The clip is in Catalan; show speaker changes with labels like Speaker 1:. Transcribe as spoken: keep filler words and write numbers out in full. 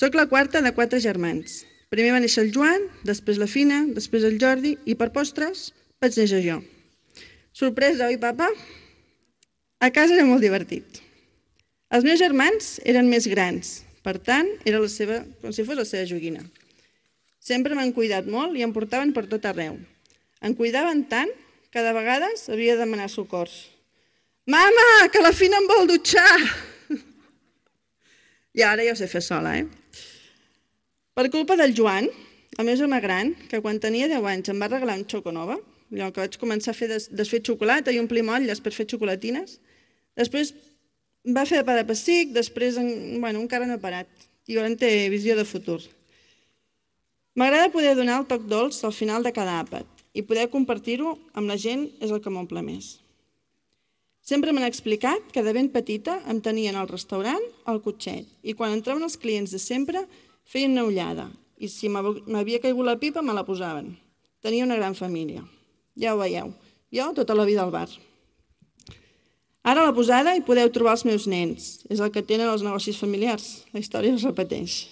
Speaker 1: Soc la quarta de quatre germans. Primer va néixer el Joan, després la Fina, després el Jordi i per postres vaig néixer jo. Sorpresa, oi, papa? A casa era molt divertit. Els meus germans eren més grans, per tant, era la seva, com si fos la seva joguina. Sempre m'han cuidat molt i em portaven per tot arreu. Em cuidaven tant que de vegades havia de demanar socors. Mama, que la Fina em vol dutxar! I ara ja ho sé fer sola, eh? Per culpa del Joan, el meu germà gran, que quan tenia deu anys em va regalar un xoconova, allò que vaig començar a fer desfer xocolata i omplir motlles per fer xocolatines, després va fer de pa de pessic, després bueno, encara no ha parat, i ara en té visió de futur. M'agrada poder donar el toc dolç al final de cada àpat i poder compartir-ho amb la gent és el que m'omple més. Sempre m'han explicat que de ben petita em tenien al restaurant al cotxet i quan entraven els clients de sempre feien una ullada i si m'havia caigut la pipa me la posaven. Tenia una gran família. Ja ho veieu, jo tota la vida al bar. Ara a la posada hi podeu trobar els meus nens. És el que tenen els negocis familiars. La història es repeteix.